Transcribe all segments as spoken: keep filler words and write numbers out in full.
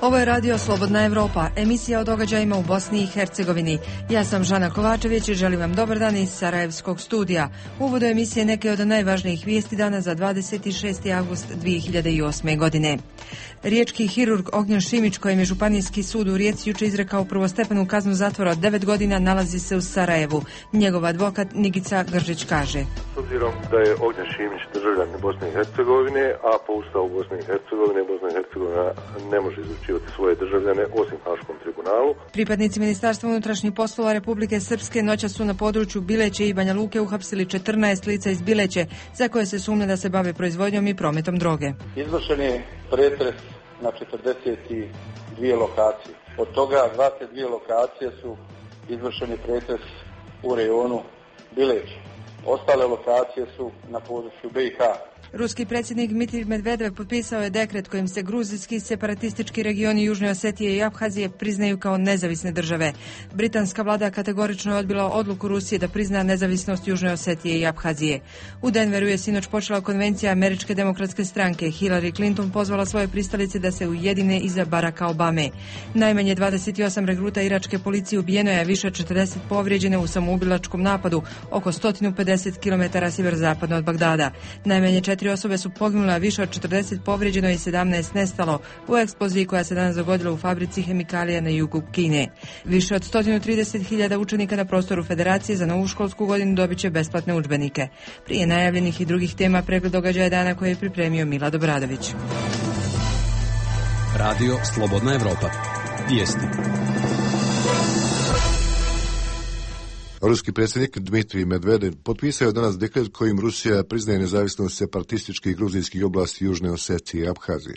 Ovo je radio Slobodna Evropa, emisija o događajima u Bosni i Hercegovini. Ja sam Žana Kovačević i želim vam dobar dan iz Sarajevskog studija. U uvodu emisije neke od najvažnijih vijesti dana za dvadeset šesti avgust dvije hiljade osme. godine. Riječki hirurg Ognjen Šimić, kojem je Županijski sud u Rijeci jučer izrekao prvostepenu kaznu zatvora od devet godina, nalazi se u Sarajevu. Njegov advokat Nigica Gržić kaže: S obzirom da je Ognjen Šimić državljanin Bosne i Hercegovine, a po Ustavu Bosne i Hercegovine, Bosna i Hercegovina ne može izručivati svoje državljane osim Haškom tribunalu. Pripadnici Ministarstva unutrašnjih poslova Republike Srpske noćas su na području Bileće i Banja Luke uhapsili četrnaest lica iz Bileće, za koje se sumnja da se bave proizvodnjom i prometom droge. Izvršen je pretres na četrdeset dvije lokacije. Od toga dvadeset dvije lokacije su izvršeni pretres u rejonu Bileće. Ostale lokacije su na području B i H. Ruski predsjednik Dmitrij Medvedev potpisao je dekret kojim se gruzijski separatistički regioni Južne Osetije i Abhazije priznaju kao nezavisne države. Britanska vlada kategorično je odbila odluku Rusije da prizna nezavisnost Južne Osetije i Abhazije. U Denveru je sinoć počela konvencija Američke demokratske stranke. Hillary Clinton pozvala svoje pristalice da se ujedine iza Baracka Obame. Najmanje dvadeset osam regruta iračke policije ubijeno je, više od četrdeset povrijeđeno u samoubilačkom napadu oko sto pedeset kilometara sjeverozapadno od Bagdada. Najmanje četiri osobe su poginule, a više od četrdeset povrijeđeno i sedamnaest nestalo u eksploziji koja se danas dogodila u fabrici hemikalija na jugu Kine. Više od sto trideset hiljada učenika na prostoru Federacije za novu školsku godinu dobit će besplatne udžbenike. Prije najavljenih i drugih tema pregled događaja dana koje je pripremio Milad Obradović. Radio Slobodna Evropa. Vijesti. Ruski predsjednik Dmitrij Medvedev potpisao je danas dekret kojim Rusija priznaje nezavisnost separatističkih gruzijskih oblasti Južne Osetije i Abhazije.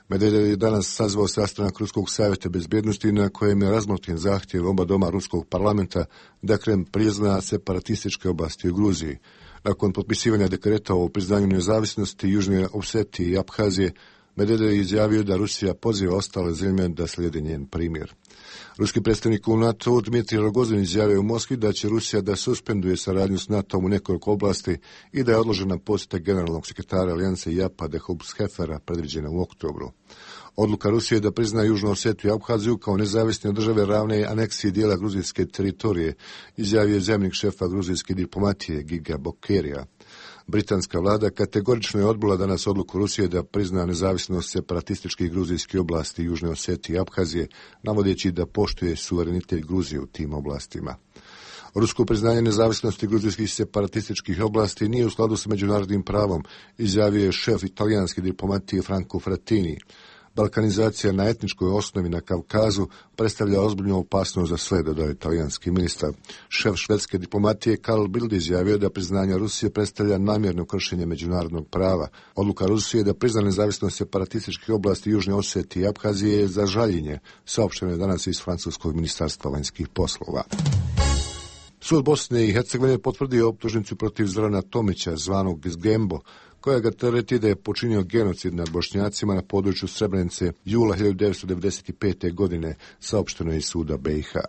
Medvedev je danas sazvao sastanak Ruskog savjeta bezbjednosti na kojem je razmotren zahtjev oba doma Ruskog parlamenta da Kreml prizna separatističke oblasti u Gruziji. Nakon potpisivanja dekreta o priznanju nezavisnosti Južne Osetije i Abhazije, Medvedev je izjavio da Rusija poziva ostale zemlje da slijede njen primjer. Ruski predstavnik u NATO Dmitrij Rogozin izjavio u Moskvi da će Rusija da suspenduje saradnju s NATO-om u nekoliko oblasti i da je odložena posjeta generalnog sekretara Alijanse Japa Dehobshefera predviđena u oktobru. Odluka Rusije da prizna Južnu Osetiju i Abhaziju kao nezavisne države ravne aneksiji dijela gruzijske teritorije, izjavio je zamjenik šefa gruzijske diplomatije Giga Bokerija. Britanska vlada kategorično je odbila danas odluku Rusije da prizna nezavisnost separatističkih gruzijskih oblasti Južne Osetije i Abhazije, navodeći da poštuje suverenitet Gruzije u tim oblastima. Rusko priznanje nezavisnosti gruzijskih separatističkih oblasti nije u skladu sa međunarodnim pravom, izjavio je šef italijanske diplomatije Franco Frattini. Balkanizacija na etničkoj osnovi na Kavkazu predstavlja ozbiljnu opasnost za sve, dodao je talijanski ministar. Šef švedske diplomatije Carl Bildt izjavio da priznanje Rusije predstavlja namjerno kršenje međunarodnog prava. Odluka Rusije da prizna nezavisnost separatističkih oblasti Južne Osetije i Abhazije je za žaljenje, saopšteno je danas iz francuskog ministarstva vanjskih poslova. Sud Bosne i Hercegovine potvrdio optužnicu protiv Zorana Tomića, zvanog Gembo, koja ga tereti da je počinio genocid nad Bošnjacima na području Srebrenice jula hiljadu devetsto devedeset pete. godine, saopšteno je iz suda B i H.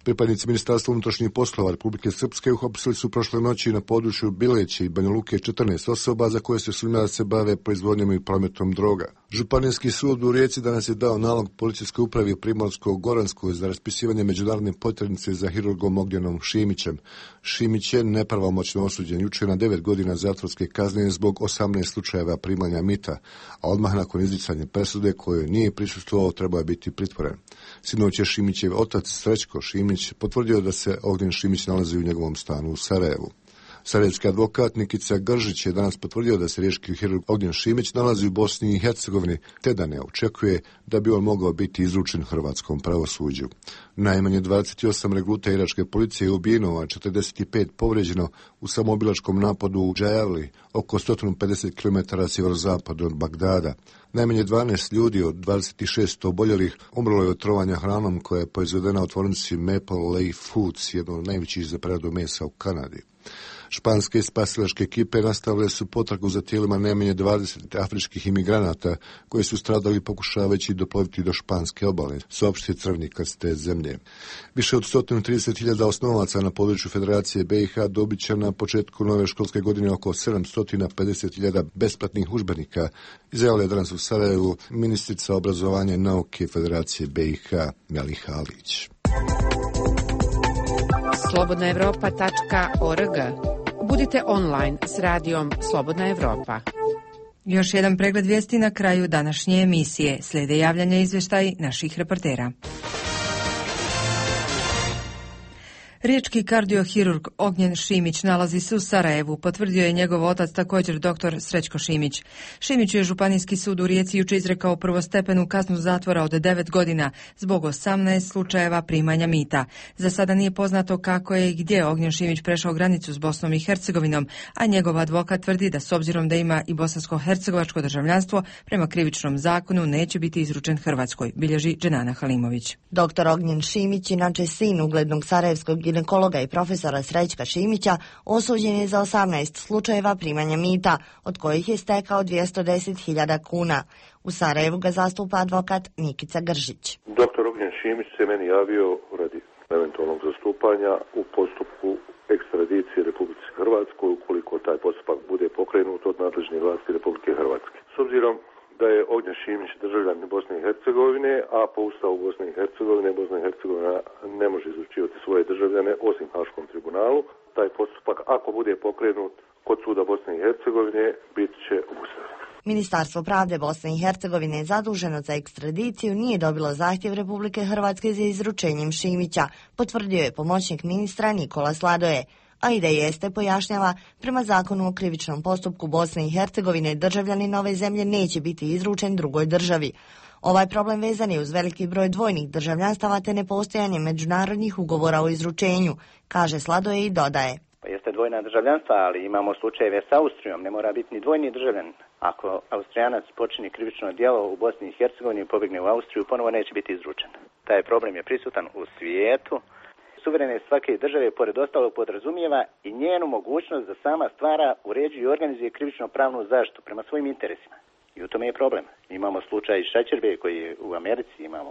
Pripadnici Ministarstva unutrašnjih poslova Republike Srpske uhapsili su prošle noći na području Bileće i Banja Luke četrnaest osoba za koje se sumnja da se bave proizvodnjom i prometom droga. Županijski sud u Rijeci danas je dao nalog policijskoj upravi Primorsko-Goranskoj za raspisivanje međunarodne potrebnice za hirurgom Ognjenom Šimićem. Šimić je nepravomoćno osuđen jučer na devet godina zatvorske kazne zbog osamnaest slučajeva primanja mita, a odmah nakon izricanja presude kojoj nije prisustvovao trebao je biti pritvoren. Sinoć je Šimićev otac Srećko Šimić potvrdio da se Ognjen Šimić nalazi u njegovom stanu u Sarajevu. Sarajevski advokat Nikica Gržić je danas potvrdio da se riječki hirurg Ognjen Šimić nalazi u Bosni i Hercegovini, te da ne očekuje da bi on mogao biti izručen hrvatskom pravosuđu. Najmanje dvadeset osam regruta iračke policije je ubijeno, a četrdeset pet povrijeđeno u samoubilačkom napadu u Džajavli, oko sto pedeset kilometara sjeverozapadno od Bagdada. Najmanje dvanaest ljudi od dvadeset šest oboljelih umrlo je od trovanja hranom koja je proizvedena u tvornici Maple Leaf Foods, jedno od najvećih za preradu mesa u Kanadi. Španske spasilačke ekipe nastavile su potragu za tijelima najmanje dvadeset afričkih imigranata koji su stradali pokušavajući doploviti do španske obale, saopštio Crveni krst te zemlje. Više od sto trideset hiljada osnovaca na području Federacije B i H dobit će na početku nove školske godine oko sedamsto pedeset hiljada besplatnih udžbenika, izjavila je danas u Sarajevu ministrica obrazovanja i nauke Federacije B i H Meliha Alić. slobodna evropa tačka org. Budite online s radijom Slobodna Evropa. Još jedan pregled vijesti na kraju današnje emisije. Slijede javljanja i izvještaj naših reportera. Riječki kardiohirurg Ognjen Šimić nalazi se u Sarajevu, potvrdio je njegov otac, također doktor Srećko Šimić. Šimiću je Županijski sud u Rijeci jučer izrekao prvostepenu kaznu zatvora od devet godina zbog osamnaest slučajeva primanja mita. Za sada nije poznato kako je i gdje Ognjen Šimić prešao granicu s Bosnom i Hercegovinom, a njegov advokat tvrdi da s obzirom da ima i bosansko-hercegovačko državljanstvo, prema krivičnom zakonu neće biti izručen Hrvatskoj, bilježi Dženana Halimović. Doktor Ognjen Šimić, inače sin uglednog sarajevskog ginekologa i profesora Srećka Šimića, osuđen je za osamnaest slučajeva primanja mita, od kojih je stekao dvjesto deset hiljada kuna. U Sarajevu ga zastupa advokat Nikica Gržić. Doktor Ognjen Šimić se meni javio radi eventualnog zastupanja u postupku ekstradicije Republike Hrvatskoj ukoliko taj postupak bude pokrenut od nadležnih vlasti Republike Hrvatske. S obzirom da je Ognjen Šimić državljanin Bosne i Hercegovine, a po Ustavu Bosne i Hercegovine Bosna i Hercegovina ne može izručivati svoje državljane osim Haškom tribunalu. Taj postupak, ako bude pokrenut kod suda Bosne i Hercegovine, bit će obustavljen. Ministarstvo pravde Bosne i Hercegovine zaduženo za ekstradiciju nije dobilo zahtjev Republike Hrvatske za izručenjem Šimića, potvrdio je pomoćnik ministra Nikola Sladoje. A i da jeste, pojašnjava, prema zakonu o krivičnom postupku Bosne i Hercegovine državljanin ove zemlje neće biti izručen drugoj državi. Ovaj problem vezan je uz veliki broj dvojnih državljanstava te nepostojanje međunarodnih ugovora o izručenju, kaže Sladoje i dodaje. Pa jeste dvojna državljanstva, ali imamo slučajeve s Austrijom, ne mora biti ni dvojni državljanin. Ako Austrijanac počini krivično djelo u Bosni i Hercegovini i pobjegne u Austriju, ponovo neće biti izručen. Taj problem je prisutan u svijetu. Suverenost svake države, pored ostalog, podrazumijeva i njenu mogućnost da sama stvara, uređuje i organizuje krivično-pravnu zaštitu prema svojim interesima. I u tome je problem. Imamo slučaj Šećerbe koji je u Americi, imamo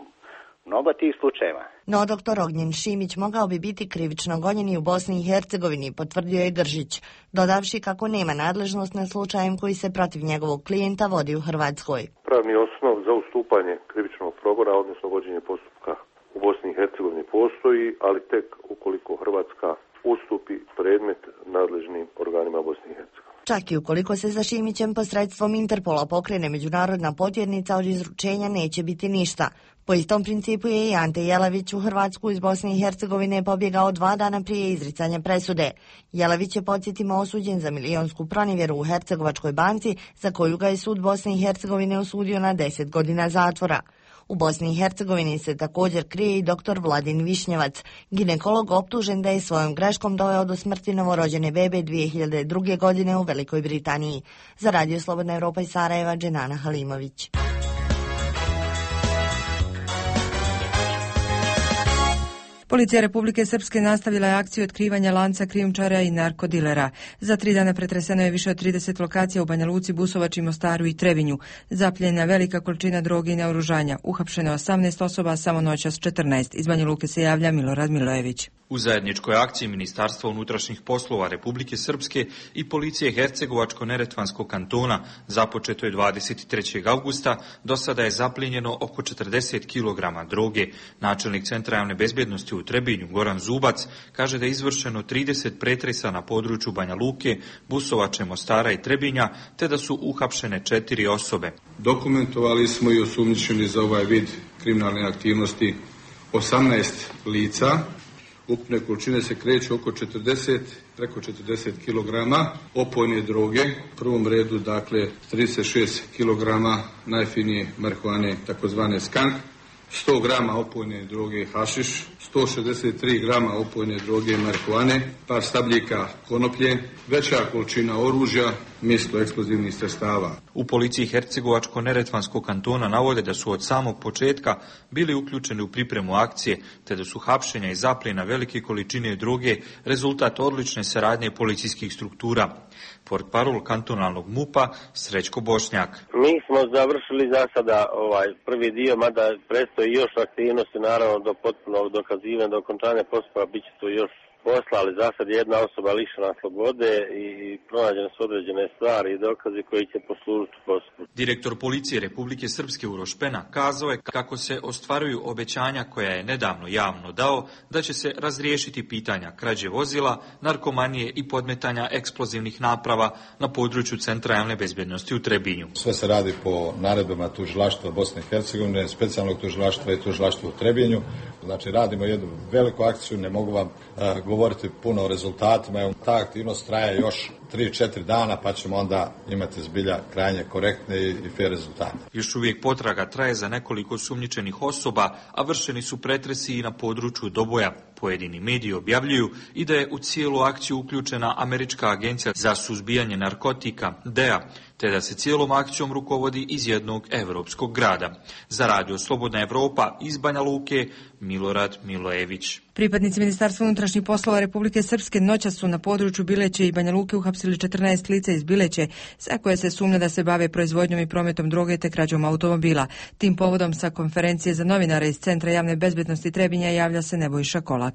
mnogo tih slučajeva. No, doktor Ognjen Šimić mogao bi biti krivično gonjen i u Bosni i Hercegovini, potvrdio je Gržić, dodavši kako nema nadležnost na slučajem koji se protiv njegovog klijenta vodi u Hrvatskoj. Pravni osnov za ustupanje krivičnog progona, odnosno vođenje postupka u Bosni i Hercegovini postoji, ali tek ukoliko Hrvatska ustupi predmet nadležnim organima Bosne i Hercegovine. Čak i ukoliko se za Šimićem posredstvom Interpola pokrene međunarodna potjernica, od izručenja neće biti ništa. Po istom principu je i Ante Jelavić u Hrvatsku iz Bosne i Hercegovine pobjegao dva dana prije izricanja presude. Jelavić je, podsjetimo, osuđen za milionsku pronevjeru u Hercegovačkoj banci, za koju ga je sud Bosne i Hercegovine osudio na deset godina zatvora. U Bosni i Hercegovini se također krije i doktor Vladin Višnjevac, ginekolog optužen da je svojom greškom doveo do smrti novorođene bebe dvije hiljade druge. godine u Velikoj Britaniji. Za Radio Slobodna Evropa iz Sarajeva, Dženana Halimović. Policija Republike Srpske nastavila je akciju otkrivanja lanca krijumčara i narkodilera. Za tri dana pretreseno je više od trideset lokacija u Banja Luci, Busovači, Mostaru i Trebinju. Zapljena velika količina droge i naoružanja. Uhapšeno je osamnaest osoba, samo noćas četrnaest. Iz Banja Luke se javlja Milorad Milojević. U zajedničkoj akciji Ministarstva unutrašnjih poslova Republike Srpske i policije Hercegovačko-Neretvanskog kantona započeto je dvadeset trećeg avgusta, do sada je zaplijenjeno oko četrdeset kilograma droge. Načelnik Centra javne bezbjednosti u Trebinju, Goran Zubac, kaže da je izvršeno trideset pretresa na području Banja Luke, Busovače, Mostara i Trebinja, te da su uhapšene četiri osobe. Dokumentovali smo i osumnjičeni za ovaj vid kriminalne aktivnosti osamnaest lica. Ukupne količine se kreću oko četrdeset, preko četrdeset kilograma opojne droge. U prvom redu, dakle, trideset šest kilograma najfinije marihuane, takozvane skank, sto grama opojne droge hašiš, sto šezdeset tri grama opojne droge marihuane, par stabljika konoplje, veća količina oružja, mjesto eksplozivnih sredstava. U policiji Hercegovačko-neretvanskog kantona navode da su od samog početka bili uključeni u pripremu akcije, te da su hapšenja i zapljena velike količine droge rezultat odlične saradnje policijskih struktura. Portparol kantonalnog MUP-a Srećko Bošnjak. Mi smo završili za sada ovaj prvi dio, mada predstoji još aktivnosti, naravno do potpunog dokazivanja, do okončanja postupka bit će tu još posla, ali za sad jedna osoba lišena slobode i pronađene su određene stvari i dokazi koji će poslužiti postupku. Direktor policije Republike Srpske Uroš Pena kazao je kako se ostvaruju obećanja koja je nedavno javno dao da će se razriješiti pitanja krađe vozila, narkomanije i podmetanja eksplozivnih naprava na području Centra javne bezbjednosti u Trebinju. Sve se radi po naredbama tužilaštva Bosne i Hercegovine, specijalnog tužilaštva i tužilaštva u Trebinju. Znači radimo jednu veliku akciju, ne mogu vam uh, govoriti puno o rezultatima. Ta aktivnost traje još tri četiri dana, pa ćemo onda imati zbilja krajnje korektne i, i fair rezultate. Još uvijek potraga traje za nekoliko sumnjičenih osoba, a vršeni su pretresi i na području Doboja. Pojedini mediji objavljuju i da je u cijelu akciju uključena Američka agencija za suzbijanje narkotika, D E A, te da se cijelom akcijom rukovodi iz jednog evropskog grada. Za Radio Slobodna Evropa iz Banja Luke, Milorad Milojević. Pripadnici Ministarstva unutrašnjih poslova Republike Srpske noćas su na području Bileće i Banja Luke uhapsili četrnaest lica iz Bileće, za koje se sumnja da se bave proizvodnjom i prometom droge te krađom automobila. Tim povodom sa konferencije za novinare iz Centra javne bezbjednosti Trebinja javlja se Nebojša Kolak.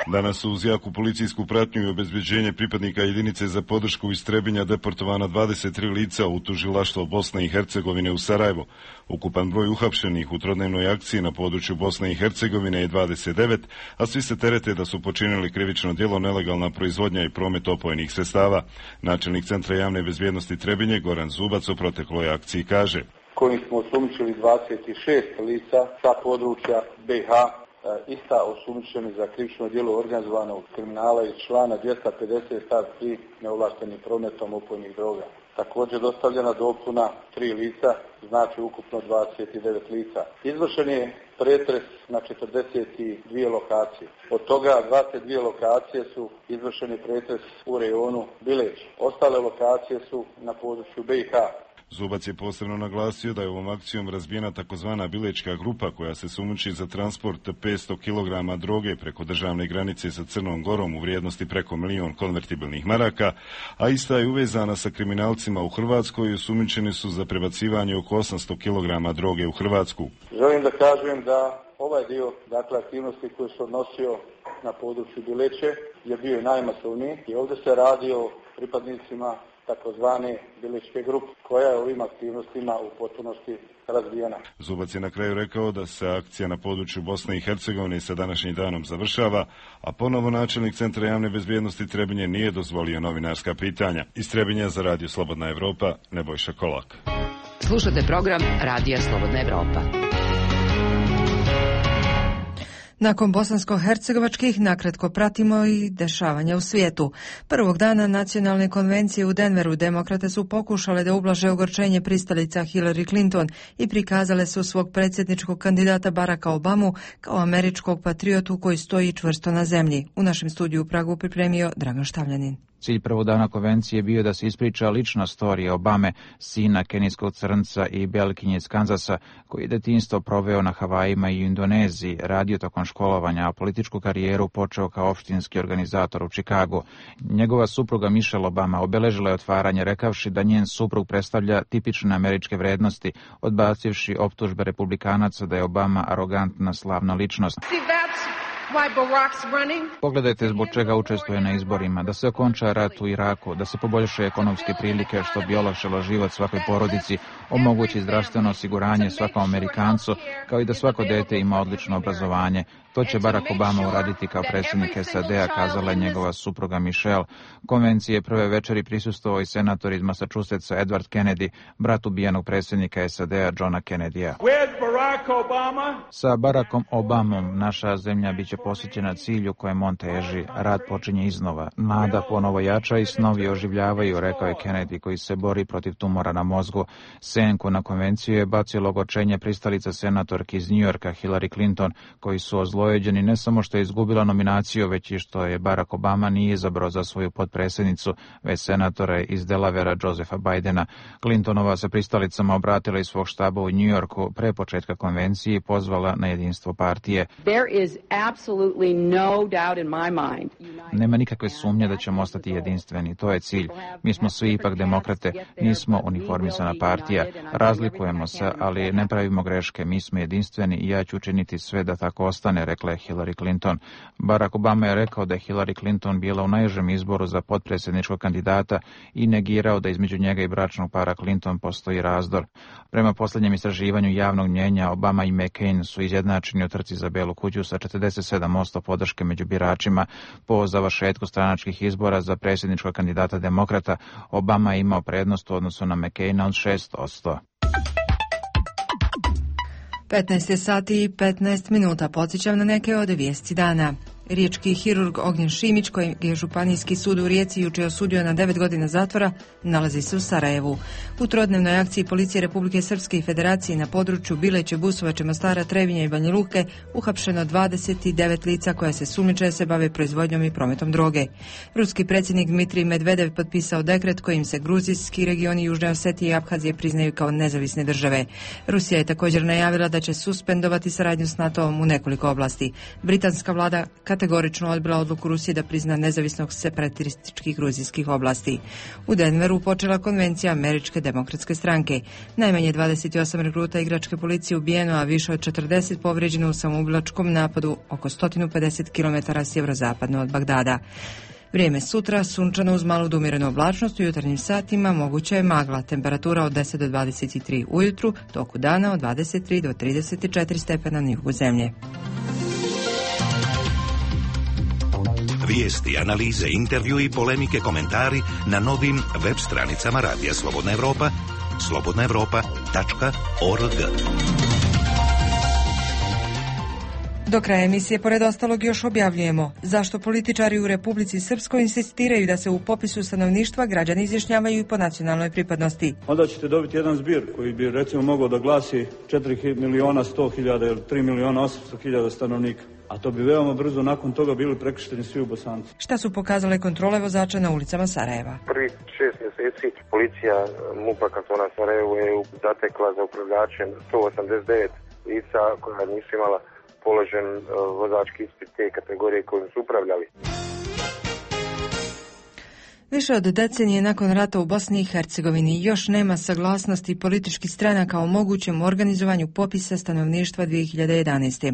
Danas su uz jaku policijsku pratnju i obezbeđenje pripadnika jedinice za podršku iz Trebinja deportovana dvadeset tri lica u tužilaštvo Bosne i Hercegovine u Sarajevo. Ukupan broj uhapšenih u trodnevnoj akciji na području Bosne i Hercegovine je dvadeset devet, a svi se terete da su počinili krivično djelo nelegalna proizvodnja i promet opojnih sredstava. Načelnik Centra javne bezbjednosti Trebinje Goran Zubac o protekloj akciji kaže: Koji smo osumnjičili dvadeset šest lica sa područja B i H, ista osumnjičeni za krivično djelo organizovanog kriminala iz člana dvjesto pedeset stav tri neovlaštenim prometom opojnih droga. Također dostavljena dopuna tri lica, znači ukupno dvadeset devet lica. Izvršen je pretres na četrdeset dvije lokacije. Od toga dvadeset dvije lokacije su izvršeni pretres u rejonu Bileć. Ostale lokacije su na području B i H. Zubac je posebno naglasio da je ovom akcijom razbijena takozvana Bilečka grupa koja se sumnjiči za transport petsto kilograma droge preko državne granice sa Crnom Gorom u vrijednosti preko milion konvertibilnih maraka, a ista je uvezana sa kriminalcima u Hrvatskoj i osumnjičeni su za prebacivanje oko osamsto kilograma droge u Hrvatsku. Želim da kažem da ovaj dio, dakle aktivnosti koji se odnosio na području Bileće je bio i najmasovniji i ovdje se radi o pripadnicima takozvane Bilečke grupe, koja je ovim aktivnostima u potpunosti razvijena. Zubac je na kraju rekao da se akcija na području Bosne i Hercegovine sa današnjim danom završava, a ponovo načelnik Centra javne bezbjednosti Trebinje nije dozvolio novinarska pitanja. Iz Trebinja za Radio Slobodna Evropa, Nebojša Kolak. Slušate program Radija Slobodna Evropa. Nakon bosansko-hercegovačkih nakratko pratimo i dešavanja u svijetu. Prvog dana nacionalne konvencije u Denveru demokrate su pokušale da ublaže ogorčenje pristalica Hillary Clinton i prikazale su svog predsjedničkog kandidata Baracka Obamu kao američkog patriotu koji stoji čvrsto na zemlji. U našem studiju u Pragu pripremio Dragan Štavljanin. Cilj prvog dana konvencije je bio da se ispriča lična storija Obame, sina kenijskog crnca i belkinje iz Kanzasa, koji je detinjstvo proveo na Havajima i Indoneziji, radio tokom školovanja, a političku karijeru počeo kao opštinski organizator u Čikagu. Njegova supruga Michelle Obama obeležila je otvaranje rekavši da njen suprug predstavlja tipične američke vrednosti, odbacivši optužbe republikanaca da je Obama arogantna slavna ličnost. Pogledajte zbog čega učestvuje na izborima, da se okonča rat u Iraku, da se poboljšaju ekonomske prilike što bi olakšalo život svakoj porodici, omogući zdravstveno osiguranje svakom Amerikancu, kao i da svako dete ima odlično obrazovanje. To će Barack Obama uraditi kao predsjednik S A D-a, kazala je njegova supruga Michelle. Konvencije prve večeri prisustvovao i senator iz Massachusettsa Edward Kennedy, brat ubijenog predsjednika S A D-a Johna Kennedya. Sa Barackom Obamom naša zemlja biće posvećena cilju kojem on teži. Rad počinje iznova. Nada ponovo jača i snovi oživljavaju, rekao je Kennedy, koji se bori protiv tumora na mozgu. Senku na konvenciju je bacio ogorčenje pristalica senatorki iz New Yorka Hillary Clinton, koji su o oslobođeni ne samo što je izgubila nominaciju, već i što je Barack Obama nije izabrao za svoju potpredsjednicu, već senatore iz Delavera Josepha Bidena. Clintonova se pristalicama obratila iz svog štaba u New Yorku pre početka konvencije i pozvala na jedinstvo partije. Nema nikakve sumnje da ćemo ostati jedinstveni, to je cilj. Mi smo svi ipak demokrate, nismo uniformisana partija, razlikujemo se, ali ne pravimo greške, mi smo jedinstveni i ja ću učiniti sve da tako ostane, rekla je Hillary Clinton. Barack Obama je rekao da je Hillary Clinton bila u najužem izboru za potpredsjedničkog kandidata i negirao da između njega i bračnog para Clinton postoji razdor. Prema posljednjem istraživanju javnog mnjenja, Obama i McCain su izjednačeni u trci za Belu kuću sa četrdeset sedam posto podrške među biračima. Po završetku stranačkih izbora za predsjedničkog kandidata demokrata, Obama je imao prednost u odnosu na McCaina od šest posto. petnaest je sati i petnaest minuta. Podsjećam na neke od vijesti dana. Riječki hirurg Ognjen Šimić, kojeg je Županijski sud u Rijeci jučer osudio na devet godina zatvora, nalazi se u Sarajevu. U trodnevnoj akciji Policije Republike Srpske i Federacije na području Bileće, Busovače, Mostara, Trebinja i Banja Luke uhapšeno dvadeset devet lica koja se sumnjiče da se bave proizvodnjom i prometom droge. Ruski predsjednik Dmitrij Medvedev potpisao dekret kojim se gruzijski regioni Južne Osetije i Abhazije priznaju kao nezavisne države. Rusija je također najavila da će suspendovati saradnju s NATO-om u nekoliko oblasti. Britanska vlada kategorično odbila odluku Rusije da prizna nezavisnog separatističkih gruzijskih oblasti. U Denveru počela konvencija Američke demokratske stranke. Najmanje dvadeset osam regruta igračke policije ubijeno, a više od četrdeset povrijeđeno u samoubilačkom napadu oko sto pedeset kilometara sjeverozapadno od Bagdada. Vrijeme sutra, sunčano uz malu do umjerenu oblačnost, u jutarnjim satima moguća je magla, temperatura od deset do dvadeset tri ujutru, toku dana od dvadeset tri do trideset četiri stepena na jugu zemlje. Vijesti, analize, intervju i polemike, komentari na novim web stranicama Radija Slobodna Evropa, slobodna evropa tačka org. Do kraja emisije, pored ostalog, još objavljujemo zašto političari u Republici Srpskoj insistiraju da se u popisu stanovništva građani izjašnjavaju i po nacionalnoj pripadnosti. Onda ćete dobiti jedan zbir koji bi recimo mogao da glasi četiri miliona sto hiljada ili tri miliona osamsto hiljada stanovnika. A to bi veoma brzo nakon toga bili prekršteni svi u Bosanci. Šta su pokazale kontrole vozača na ulicama Sarajeva? Prvih šest mjeseci policija MUP-a kantona Sarajevo je zatekla za upravljačem sto osamdeset devet lica koja nisu imala položen vozački ispit te kategorije kojim su upravljali. Više od decenije nakon rata u Bosni i Hercegovini još nema saglasnosti političkih stranaka o mogućem organizovanju popisa stanovništva dvije hiljade jedanaeste.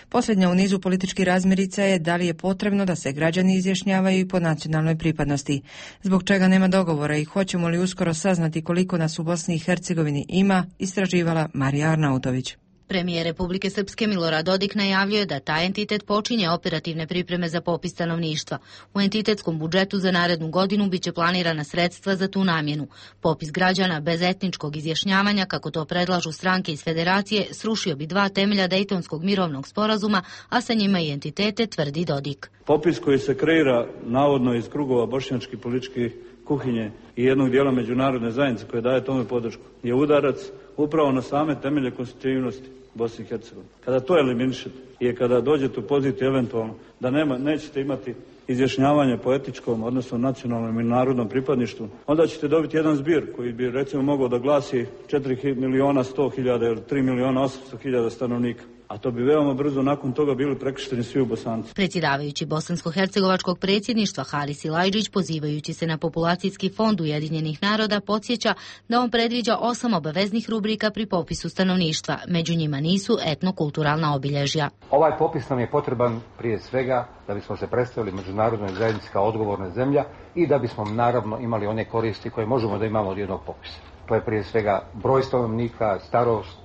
Posljednja u nizu političkih razmirica je da li je potrebno da se građani izjašnjavaju i po nacionalnoj pripadnosti. Zbog čega nema dogovora i hoćemo li uskoro saznati koliko nas u Bosni i Hercegovini ima, istraživala Marija Arnautović. Premijer Republike Srpske Milorad Dodik najavljuje da taj entitet počinje operativne pripreme za popis stanovništva. U entitetskom budžetu za narednu godinu biće planirana sredstva za tu namjenu. Popis građana bez etničkog izjašnjavanja, kako to predlažu stranke iz Federacije, srušio bi dva temelja Dejtonskog mirovnog sporazuma, a sa njima i entitete, tvrdi Dodik. Popis koji se kreira navodno iz krugova bošnjačke političke kuhinje i jednog dijela međunarodne zajednice koje daje tome podršku je udarac upravo na same temelje konstitutivnosti Bosne i Hercegovine. Kada to eliminišete i kada dođete u poziciju eventualno da nema, nećete imati izjašnjavanje po etičkom, odnosno nacionalnom i narodnom pripadništvu, onda ćete dobiti jedan zbir koji bi recimo mogao da glasi četiri miliona sto hiljada ili tri miliona osamsto hiljada stanovnika. A to bi veoma brzo nakon toga bili prekršteni svi u Bosanci. Predsjedavajući Bosansko-hercegovačkog predsjedništva Haris Ilajđić, pozivajući se na populacijski fond Ujedinjenih naroda, podsjeća da on predviđa osam obaveznih rubrika pri popisu stanovništva. Među njima nisu etnokulturalna obilježja. Ovaj popis nam je potreban prije svega da bismo se predstavili međunarodnoj zajednici kao odgovorna zemlja i da bismo naravno imali one koristi koje možemo da imamo od jednog popisa. To je prije svega broj stanovnika, starost,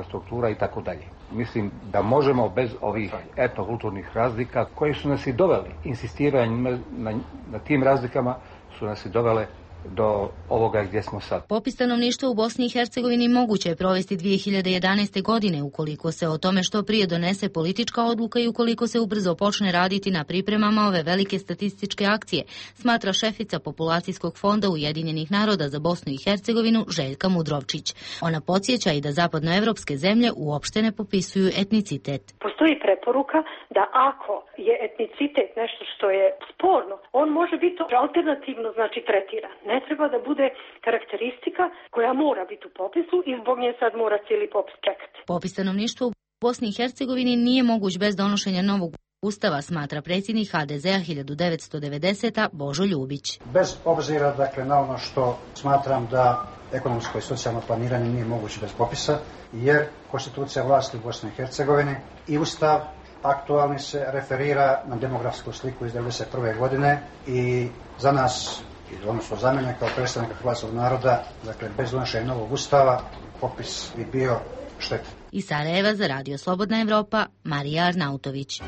struktura i tako dalje. Mislim da možemo bez ovih etnokulturnih razlika koje su nas i doveli, insistiranjem na, na tim razlikama su nas i dovele do ovoga gdje smo sad. Popis stanovništva u Bosni i Hercegovini moguće je provesti dvije hiljade jedanaeste. godine ukoliko se o tome što prije donese politička odluka i ukoliko se ubrzo počne raditi na pripremama ove velike statističke akcije, smatra šefica Populacijskog fonda Ujedinjenih naroda za Bosnu i Hercegovinu Željka Mudrovčić. Ona podsjeća i da zapadnoevropske zemlje uopšte ne popisuju etnicitet. Postoji preporuka da ako je etnicitet nešto što je sporno, on može biti alternativno, znači tretiran. Ne treba da bude karakteristika koja mora biti u popisu i zbog nje sad mora cijeli popis čekati. Popis stanovništva u Bosni i Hercegovini nije moguć bez donošenja novog Ustava, smatra predsjednik ha de zea hiljadu devetsto devedesete. Božo Ljubić. Bez obzira dakle, na ono što smatram da ekonomsko i socijalno planiranje nije moguće bez popisa, jer konstitucija vlasti u Bosni i Hercegovini i Ustav aktualni se referira na demografsku sliku iz devedeset prve. godine i za nas, odnosno za mene kao predstavnika hrvatskog naroda, dakle bez donošenja novog Ustava, popis bi bio štetan. Iz Sarajeva za Radio Slobodna Evropa, Marija Arnautović.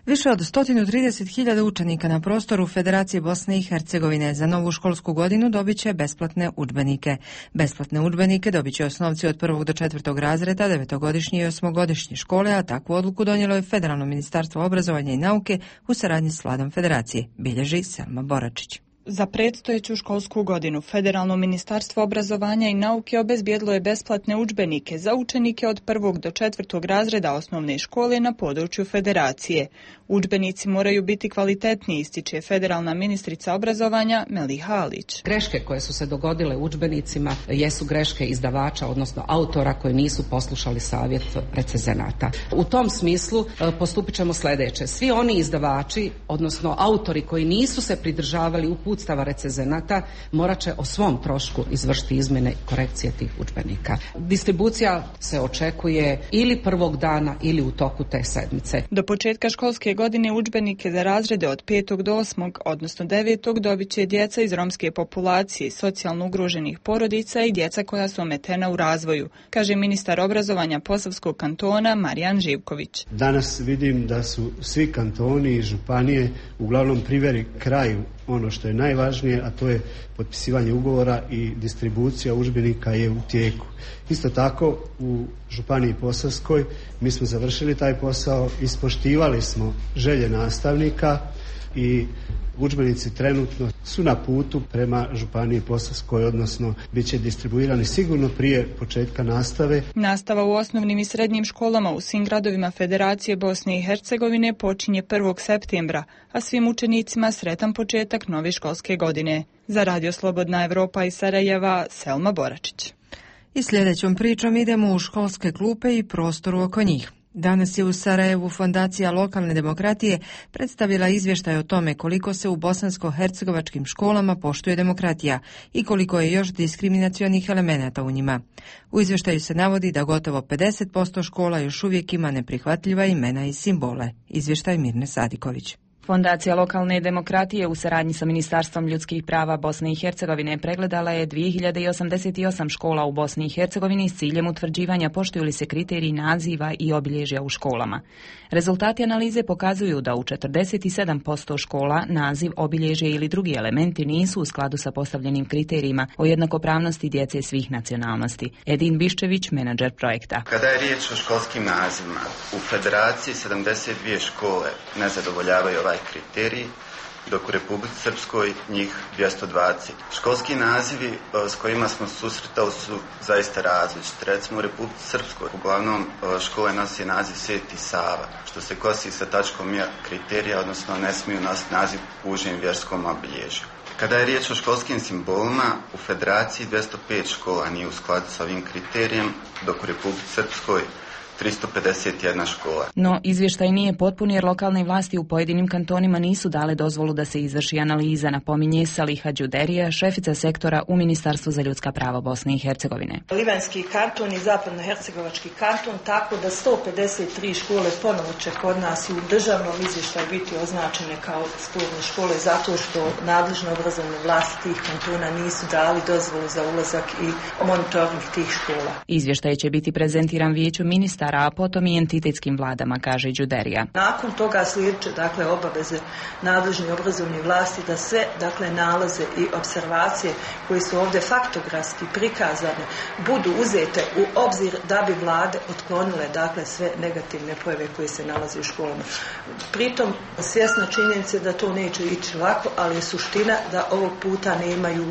Više od sto trideset hiljada učenika na prostoru Federacije Bosne i Hercegovine za novu školsku godinu dobit će besplatne udžbenike. Besplatne udžbenike dobit će osnovci od prvog do četvrtog razreda, devetogodišnje i osmogodišnje škole, a takvu odluku donijelo je Federalno ministarstvo obrazovanja i nauke u saradnji s vladom Federacije, bilježi Selma Boračić. Za predstojeću školsku godinu Federalno ministarstvo obrazovanja i nauke obezbijedilo je besplatne udžbenike za učenike od prvog do četvrtog razreda osnovne škole na području Federacije. Udžbenici moraju biti kvalitetni, ističe federalna ministrica obrazovanja Meliha Alić. Greške koje su se dogodile u udžbenicima jesu greške izdavača, odnosno autora koji nisu poslušali savjet recenzenata. U tom smislu postupit ćemo sljedeće. Svi oni izdavači, odnosno autori koji nisu se pridržavali uputstava recenzenata, morat će o svom trošku izvršiti izmjene i korekcije tih udžbenika. Distribucija se očekuje ili prvog dana ili u toku te sedmice. Do početka školske godine udžbenike za razrede od petog do osmog, odnosno devetog, dobit će djeca iz romske populacije, socijalno ugroženih porodica i djeca koja su ometena u razvoju, kaže ministar obrazovanja Posavskog kantona Marijan Živković. Danas vidim da su svi kantoni i županije uglavnom priveli kraju ono što je najvažnije, a to je potpisivanje ugovora i distribucija udžbenika je u tijeku. Isto tako u Županiji Posavskoj mi smo završili taj posao, ispoštivali smo želje nastavnika i udžbenici trenutno su na putu prema Županiji Posavskoj, odnosno bit će distribuirani sigurno prije početka nastave. Nastava u osnovnim i srednjim školama u svim gradovima Federacije Bosne i Hercegovine počinje prvog septembra, a svim učenicima sretan početak nove školske godine. Za Radio Slobodna Evropa iz Sarajeva, Selma Boračić. I sljedećom pričom idemo u školske klupe i prostoru oko njih. Danas je u Sarajevu Fondacija lokalne demokratije predstavila izvještaj o tome koliko se u bosansko-hercegovačkim školama poštuje demokratija i koliko je još diskriminacionih elemenata u njima. U izvještaju se navodi da gotovo pedeset posto škola još uvijek ima neprihvatljiva imena i simbole. Izvještaj Mirne Sadiković. Fondacija lokalne demokratije u saradnji sa Ministarstvom ljudskih prava Bosne i Hercegovine pregledala je dvije hiljade osamdeset osam škola u Bosni i Hercegovini s ciljem utvrđivanja poštuju li se kriteriji naziva i obilježja u školama. Rezultati analize pokazuju da u četrdeset sedam posto škola naziv, obilježje ili drugi elementi nisu u skladu sa postavljenim kriterijima o jednakopravnosti djece svih nacionalnosti. Edin Biščević, menadžer projekta. Kada je riječ o školskim nazivima, u Federaciji sedamdeset dvije škole ne zadovoljavaju ovaj kriterij, dok u Republici Srpskoj njih dvjesto dvadeset. Školski nazivi s kojima smo susretali su zaista različiti. Recimo u Republici Srpskoj uglavnom škole nosi naziv Sveti Sava, što se kosi sa tačkom ja kriterija, odnosno ne smiju nositi naziv u užem vjerskom obilježju. Kada je riječ o školskim simbolima, u Federaciji dvjesto pet škola nije u skladu sa ovim kriterijem, dok u Republici Srpskoj tristo pedeset jedna škola. No, izvještaj nije potpun jer lokalne vlasti u pojedinim kantonima nisu dale dozvolu da se izvrši analiza, napominje Saliha Đuderija, šefica sektora u Ministarstvu za ljudska prava Bosne i Hercegovine. Livanjski kanton i zapadnohercegovački kanton, tako da sto pedeset tri škole ponovo će kod nas u državnom izvještaju biti označene kao sporne škole zato što nadležne obrazovne vlasti tih kantona nisu dali dozvolu za ulazak i monitoring tih škola. Izvještaj će biti prezentiran vijeću ministara ministara, a potom i entitetskim vladama, kaže Đuderija. Nakon toga slijedeće dakle obaveze nadležnih obrazovnih vlasti da sve dakle nalaze i observacije koje su ovdje faktografski prikazane budu uzete u obzir da bi vlade otklonile dakle sve negativne pojave koje se nalaze u školama. Pritom svjesna činjenica da to neće ići lako, ali je suština da ovog puta nemaju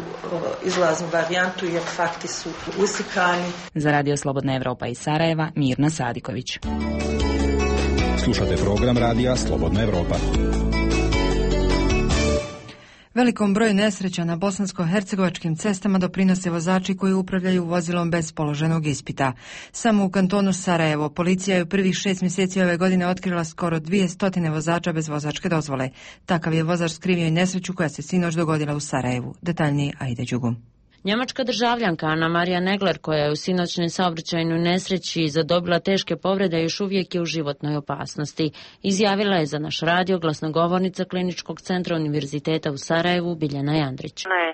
izlaznu varijantu jer fakti su uslikani. Za Radio Slobodna Evropa iz Sarajeva, Mirna Sadiković. Slušate program Radija Slobodna Evropa. Velikom broju nesreća na bosansko-hercegovačkim cestama doprinose vozači koji upravljaju vozilom bez položenog ispita. Samo u kantonu Sarajevo policija je u prvih šest mjeseci ove godine otkrila skoro dvije stotine vozača bez vozačke dozvole. Takav je vozač skrivio i nesreću koja se sinoć dogodila u Sarajevu. Detaljnije Aida Đugum. Njemačka državljanka Ana Marija Negler, koja je u sinoćnoj saobraćajnoj nesreći zadobila teške povrede, još uvijek je u životnoj opasnosti. Izjavila je za naš radio glasnogovornica Kliničkog centra Univerziteta u Sarajevu Biljana Jandrić. Ona je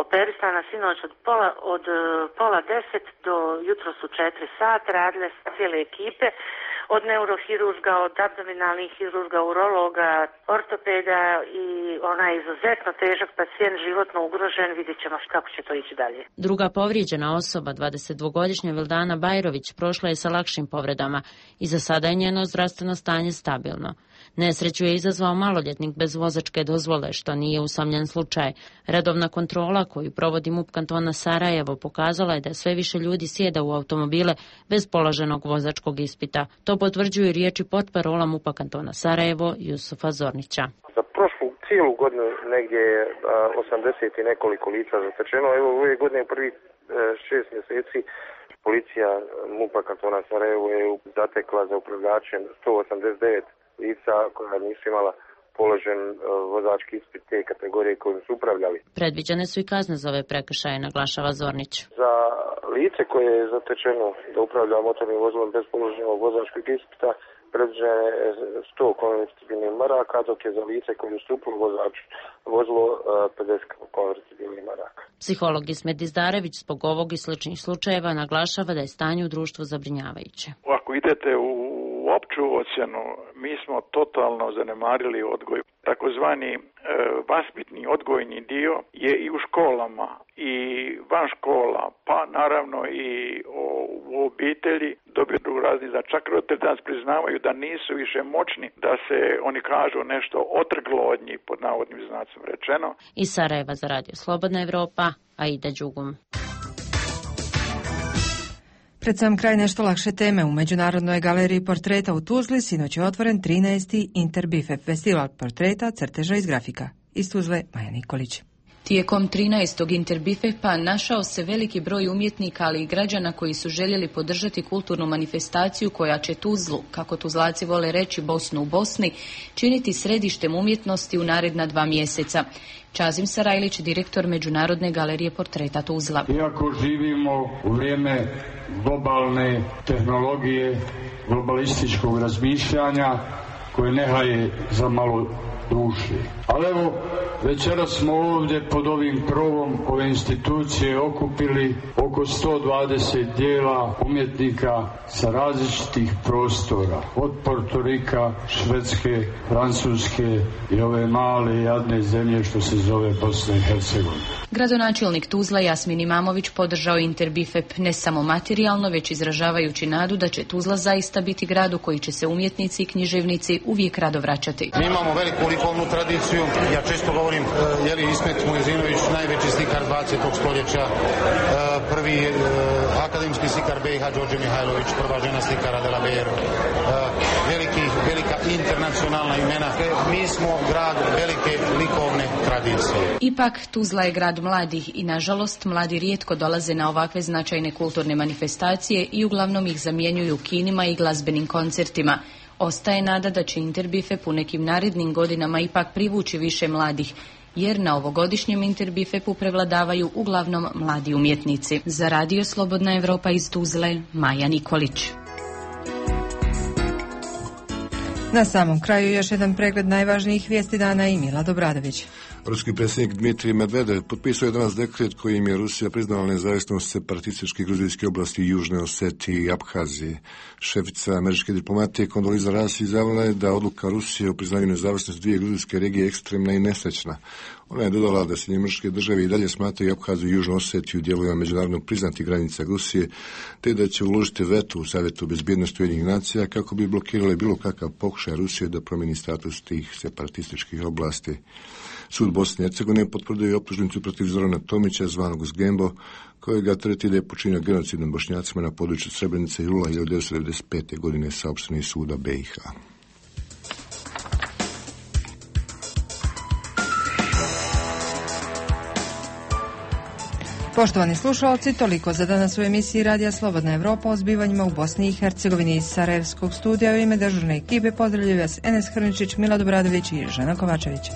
operisana sinoć od pola, od pola deset do jutros u četiri sata, radile sa cijele ekipe, od neurohirurga, od abdominalnih hirurga, urologa, ortopeda i ona je izuzetno težak pacijent, životno ugrožen, vidjet ćemo kako će to ići dalje. Druga povrijeđena osoba, dvadesetdvogodišnja Vildana Bajrović, prošla je sa lakšim povredama i za sada je njeno zdravstveno stanje stabilno. Nesreću je izazvao maloljetnik bez vozačke dozvole, što nije usamljen slučaj. Redovna kontrola koju provodi MUP kantona Sarajevo pokazala je da sve više ljudi sjeda u automobile bez položenog vozačkog ispita. To potvrđuju riječi potparola MUP-a kantona Sarajevo Jusufa Zornića. Za prošlu cijelu godinu negdje je osamdeset i nekoliko lica zatečeno. Evo ove godine prvi šest mjeseci policija MUP-a kantona Sarajevo je zatekla za upravljačem sto osamdeset devet lica koja nisu imala položen vozački ispit te kategorije kojim su upravljali. Predviđene su i kazne za ove prekršaje, naglašava Zornić. Za lice koje je zatečeno da upravlja motornim vozilom bez položenog vozačkog ispita predviđeno je sto konvertibilnih maraka, dok je za lice koje je ustupilo vozač vozilo pedeset konvertibilnih maraka. Psiholog Ismet Dizdarević zbog ovog i sličnih slučajeva naglašava da je stanje u društvu zabrinjavajuće. Ako idete u opću ocjenu, mi smo totalno zanemarili odgoj. Takozvani e, vaspitni odgojni dio je i u školama i van škola, pa naravno i o, u obitelji dobiju razni, da čak roditelji danas priznavaju da nisu više moćni da se oni kažu nešto otrglo od njih, pod navodnim znacom rečeno. Iz Sarajeva za Radio Slobodna Evropa, Aida Đugum. Pred sam kraj nešto lakše teme. U Međunarodnoj galeriji portreta u Tuzli sinoć je otvoren trinaesti Interbifef festival portreta, crteža iz grafika. Iz Tuzle, Maja Nikolić. Tijekom trinaestog Interbifepa našao se veliki broj umjetnika, ali i građana koji su željeli podržati kulturnu manifestaciju koja će Tuzlu, kako Tuzlaci vole reći Bosnu u Bosni, činiti središtem umjetnosti u naredna dva mjeseca. Čazim Sarajlić, direktor Međunarodne galerije portreta Tuzla. Iako živimo u vrijeme globalne tehnologije, globalističkog razmišljanja koje ne haje za malo duše. Ali evo, večeras smo ovdje pod ovim krovom ove institucije okupili oko sto dvadeset dijela umjetnika sa različitih prostora, od Portorika, Švedske, Francuske i ove male jadne zemlje što se zove Bosna i Hercegovina. Gradonačelnik Tuzla Jasmin Imamović podržao Interbifep ne samo materijalno, već izražavajući nadu da će Tuzla zaista biti grad u koji će se umjetnici i književnici uvijek rado vraćati. Mi imamo veliku likovnu tradiciju. Ja često govorim, je li Ismet Mujezinović najveći slikar dvadesetog stoljeća, prvi akademski slikar B iH Đorđe Mihajlović, prva žena slikara Della Vero, veliki, velika internacionalna imena. Mi smo grad velike likovne tradicije. Ipak Tuzla je grad mladih i nažalost mladi rijetko dolaze na ovakve značajne kulturne manifestacije i uglavnom ih zamjenjuju kinima i glazbenim koncertima. Ostaje nada da će Interbifep u nekim narednim godinama ipak privući više mladih, jer na ovogodišnjem Interbifepu prevladavaju uglavnom mladi umjetnici. Za Radio Slobodna Evropa iz Tuzle, Maja Nikolić. Na samom kraju još jedan pregled najvažnijih vijesti dana i Mila Dobradović. Ruski predsjednik Dmitrij Medvedev potpisao je danas dekret kojim je Rusija priznala nezavisnost separatističkih gruzijskih oblasti Južne Osetije i Abhazije. Šefica američke diplomatije Kondoliza Rice izjavila je da odluka Rusije o priznanju nezavisnosti dvije gruzijske regije ekstremna i nesrećna. Ona je dodala da se njemačke države i dalje smatraju Abhaziju i Južnu Osetiju dijelovima međunarodno priznatih granica Rusije, te da će uložiti veto u Savjetu bezbjednosti Ujedinjenih nacija kako bi blokirali bilo kakav pokušaj Rusije da promijeni status tih separatističkih oblasti. Sud Bosne i Hercegovine potvrdio je optužnicu protiv Zorana Tomića, zvanog Zgembo, kojega treti da je počinio genocid nad Bošnjacima na području Srebrenice i jula hiljadu devetsto devedeset pete. godine, saopšteno iz suda B i H. Poštovani slušalci, toliko za danas u emisiji Radija Slobodna Evropa o zbivanjima u Bosni i Hercegovini. Iz Sarajevskog studija u ime dežurne ekipe pozdravljaju vas Enes Hrničić, Milad Obradović i Žena Kovačević.